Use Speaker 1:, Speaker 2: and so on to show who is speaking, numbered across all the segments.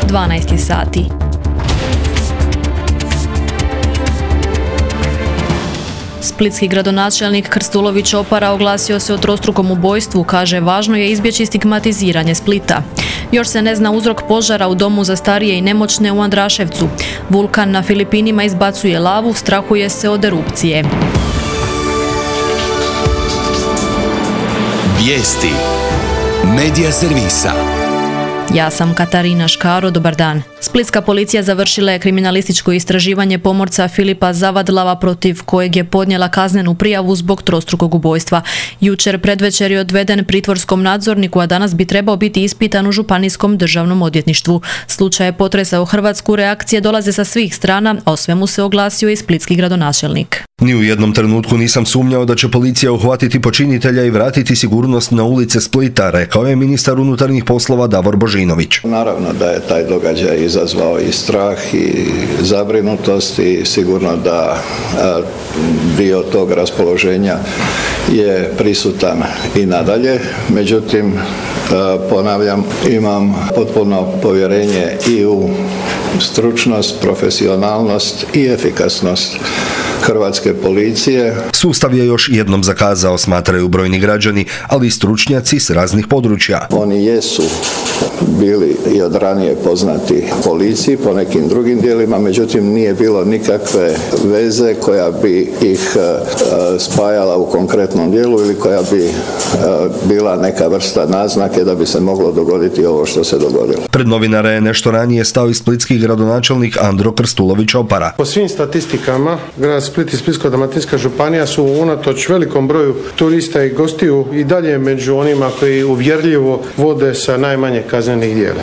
Speaker 1: 12 sati. Splitski gradonačelnik Krstulović Opara oglasio se o trostrukom ubojstvu, kaže važno je izbjeći stigmatiziranje Splita. Još se ne zna uzrok požara u domu za starije i nemoćne u Andraševcu. Vulkan na Filipinima izbacuje lavu, strahuje se od erupcije.
Speaker 2: Vijesti Medija servisa.
Speaker 1: Ja sam Katarina Škaro, dobar dan. Splitska policija završila je kriminalističko istraživanje pomorca Filipa Zavadlava protiv kojeg je podnijela kaznenu prijavu zbog trostrukog ubojstva. Jučer predvečer je odveden pritvorskom nadzorniku, a danas bi trebao biti ispitan u Županijskom državnom odvjetništvu. Slučaj je potresao Hrvatsku, reakcije dolaze sa svih strana, a o svemu se oglasio i splitski gradonačelnik.
Speaker 3: Ni u jednom trenutku nisam sumnjao da će policija uhvatiti počinitelja i vratiti sigurnost na ulice Splita, rekao je ministar unutarnjih poslova Davor Božinović.
Speaker 4: Naravno da je taj događaj izazvao i strah i zabrinutost i sigurno da dio tog raspoloženja je prisutan i nadalje. Međutim, ponavljam, imam potpuno povjerenje i u stručnost, profesionalnost i efikasnost hrvatske policije.
Speaker 3: Sustav je još jednom zakazao, smatraju brojni građani, ali i stručnjaci s raznih područja.
Speaker 4: Oni jesu bili i od ranije poznati policiji po nekim drugim dijelima, međutim nije bilo nikakve veze koja bi ih spajala u konkretnom dijelu ili koja bi bila neka vrsta naznake da bi se moglo dogoditi ovo što se dogodilo.
Speaker 3: Pred novinare je nešto ranije stao i splitski gradonačelnik Andro Krstulović Opara.
Speaker 5: Po svim statistikama, grad Split i Splitsko-dalmatinska županija su unatoč velikom broju turista i gostiju i dalje među onima koji uvjerljivo vode sa najmanje kaznenih djela.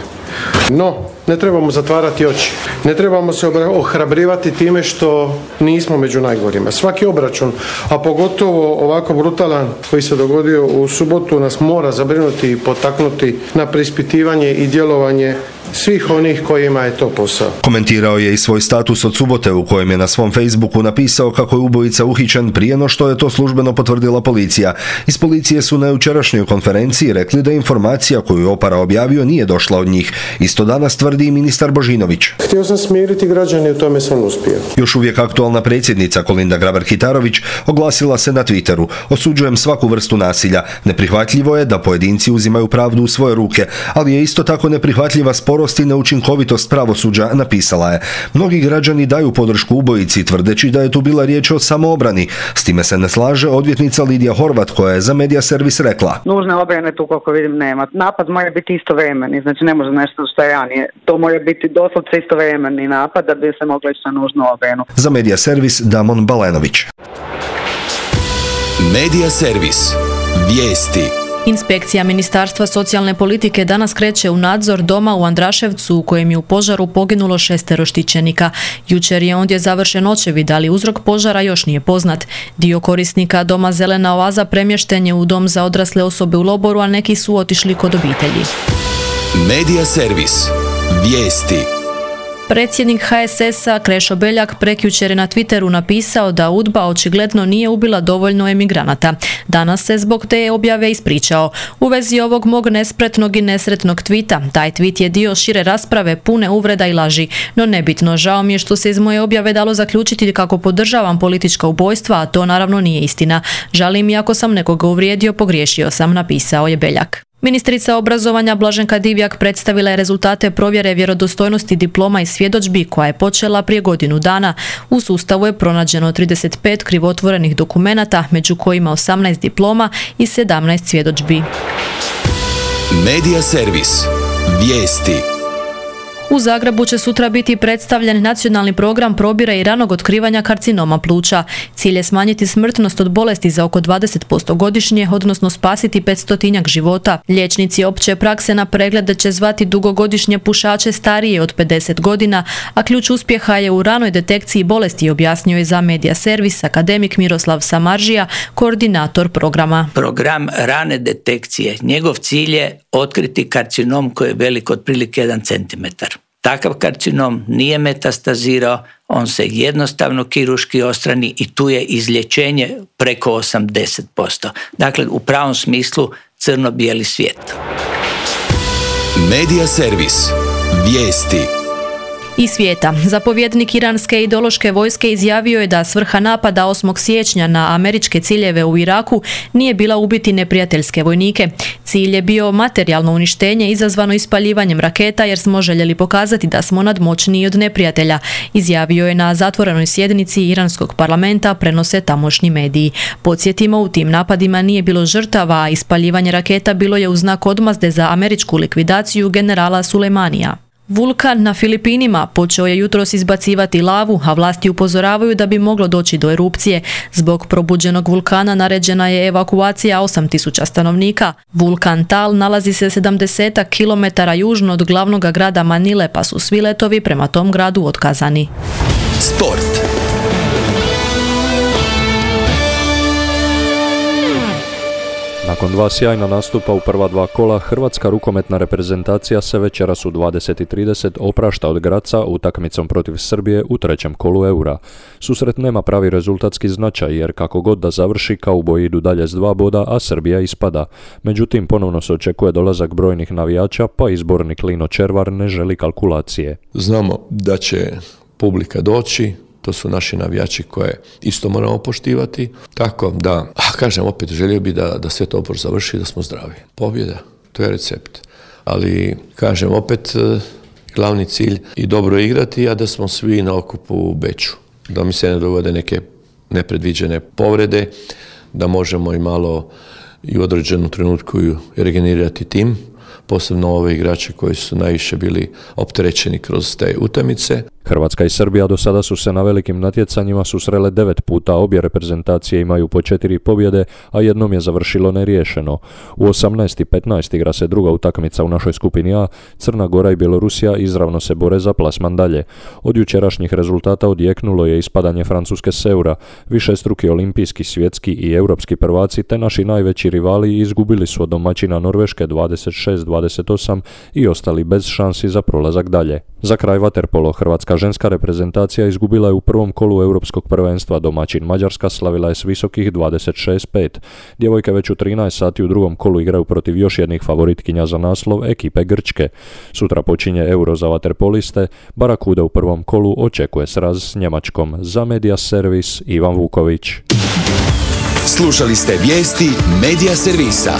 Speaker 5: No, ne trebamo zatvarati oči. Ne trebamo se ohrabrivati time što nismo među najgorima. Svaki obračun, a pogotovo ovako brutalan koji se dogodio u subotu, nas mora zabrinuti i potaknuti na preispitivanje i djelovanje svih onih kojima je to posao.
Speaker 3: Komentirao je i svoj status od subote u kojem je na svom Facebooku napisao kako je ubojica uhićen prije no što je to službeno potvrdila policija. Iz policije su na jučerašnjoj konferenciji rekli da informacija koju je Opara objavio nije došla od njih. Isto danas tvrdi i ministar Božinović.
Speaker 5: Htio sam smiriti građane i u tome sam uspio.
Speaker 3: Još uvijek aktualna predsjednica Kolinda Grabar-Kitarović oglasila se na Twitteru. Osuđujem svaku vrstu nasilja. Neprihvatljivo je da pojedinci uzimaju pravdu u svoje ruke, ali je isto tako neprihvatljiva sporost i neučinkovitost pravosuđa, napisala je. Mnogi građani daju podršku ubojici tvrdeći da je tu bila riječ o samoobrani. S time se ne slaže odvjetnica Lidija Horvat koja je za Medija servis rekla.
Speaker 6: Nužne obrane tu koliko vidim nema. Napad mora biti istovremeni, znači ne može nešto što je ranije. To mora biti doslovce istovremeni napad da bi se moglo ići na nužnu obranu.
Speaker 3: Za Medija servis Damon Balenović.
Speaker 2: Medija servis. Vijesti.
Speaker 1: Inspekcija Ministarstva socijalne politike danas kreće u nadzor doma u Andraševcu u kojem je u požaru poginulo 6 štićenika. Jučer je ondje završen očevid, ali uzrok požara još nije poznat. Dio korisnika doma Zelena oaza premješten je u dom za odrasle osobe u Loboru, a neki su otišli kod obitelji.
Speaker 2: Medija servis. Vijesti.
Speaker 1: Predsjednik HSS-a Krešo Beljak prekjučer je na Twitteru napisao da UDBA očigledno nije ubila dovoljno emigranata. Danas se zbog te objave ispričao. U vezi ovog mog nespretnog i nesretnog tvita, taj tvit je dio šire rasprave pune uvreda i laži. No nebitno, žao mi je što se iz moje objave dalo zaključiti kako podržavam politička ubojstva, a to naravno nije istina. Žalim i ako sam nekoga uvrijedio, pogriješio sam, napisao je Beljak. Ministrica obrazovanja Blaženka Divjak predstavila je rezultate provjere vjerodostojnosti diploma i svjedodžbi koja je počela prije godinu dana. U sustavu je pronađeno 35 krivotvorenih dokumenata, među kojima 18 diploma i 17 svjedodžbi.
Speaker 2: Medija servis. Vijesti.
Speaker 1: U Zagrebu će sutra biti predstavljen nacionalni program probira i ranog otkrivanja karcinoma pluća. Cilj je smanjiti smrtnost od bolesti za oko 20% godišnje, odnosno spasiti 500 života. Liječnici opće prakse na preglede će zvati dugogodišnje pušače starije od 50 godina, a ključ uspjeha je u ranoj detekciji bolesti, objasnio je za Medija servis akademik Miroslav Samaržija, koordinator programa.
Speaker 7: Program rane detekcije, njegov cilj je otkriti karcinom koji je velik otprilike 1 cm. Takav karcinom nije metastazirao, on se jednostavno kirurški odstrani i tu je izlječenje preko 80%. Dakle, u pravom smislu crno-bijeli svijet.
Speaker 2: Medija servis. Vijesti.
Speaker 1: Iz svijeta. Zapovjednik iranske ideološke vojske izjavio je da svrha napada 8. siječnja na američke ciljeve u Iraku nije bila ubiti neprijateljske vojnike. Cilj je bio materijalno uništenje izazvano ispaljivanjem raketa jer smo željeli pokazati da smo nadmoćniji od neprijatelja, izjavio je na zatvorenoj sjednici iranskog parlamenta, prenose tamošnji mediji. Podsjetimo, u tim napadima nije bilo žrtava, a ispaljivanje raketa bilo je u znak odmazde za američku likvidaciju generala Sulejmanija. Vulkan na Filipinima počeo je jutros izbacivati lavu, a vlasti upozoravaju da bi moglo doći do erupcije. Zbog probuđenog vulkana naređena je evakuacija 8.000 stanovnika. Vulkan Tal nalazi se 70 km južno od glavnog grada Manile, pa su svi letovi prema tom gradu otkazani.
Speaker 2: Sport.
Speaker 8: Nakon 2 sjajna nastupa u prva 2 kola, hrvatska rukometna reprezentacija se večeras u 20:30 oprašta od Graca utakmicom protiv Srbije u 3. kolu Eura. Susret nema pravi rezultatski značaj jer kako god da završi, kauboji idu dalje s 2 boda, a Srbija ispada. Međutim, ponovno se očekuje dolazak brojnih navijača, pa izbornik Lino Červar ne želi kalkulacije.
Speaker 9: Znamo da će publika doći, to su naši navijači koje isto moramo poštivati. Tako da, kažem opet, želio bi da sve to opor završi, da smo zdravi. Pobjeda, to je recept. Ali, kažem opet, glavni cilj i dobro igrati, a da smo svi na okupu u Beču. Da mi se ne dogode neke nepredviđene povrede, da možemo i malo i u određenom trenutku regenerirati tim, posebno ove igrače koji su najviše bili opterećeni kroz te utakmice.
Speaker 8: Hrvatska i Srbija do sada su se na velikim natjecanjima susrele 9 puta, obje reprezentacije imaju po 4 pobjede, a jednom je završilo neriješeno. U 18:15 igra se druga utakmica u našoj skupini A, Crna Gora i Bjelorusija izravno se bore za plasman dalje. Od jučerašnjih rezultata odjeknulo je ispadanje Francuske s Eura, višestruki olimpijski, svjetski i europski prvaci te naši najveći rivali izgubili su od domaćina Norveške 26-28 i ostali bez šansi za prolazak dalje. Za kraj vaterpolo, hrvatska ženska reprezentacija izgubila je u prvom kolu europskog prvenstva, domaćin Mađarska slavila je s visokih 26-5. Djevojke već u 13 sati u drugom kolu igraju protiv još jednih favoritkinja za naslov, ekipe Grčke. Sutra počinje Euro za vaterpoliste, Barakuda u prvom kolu očekuje sraz s Njemačkom. Za Media Servis, Ivan Vuković.
Speaker 2: Slušali ste vijesti Media Servisa.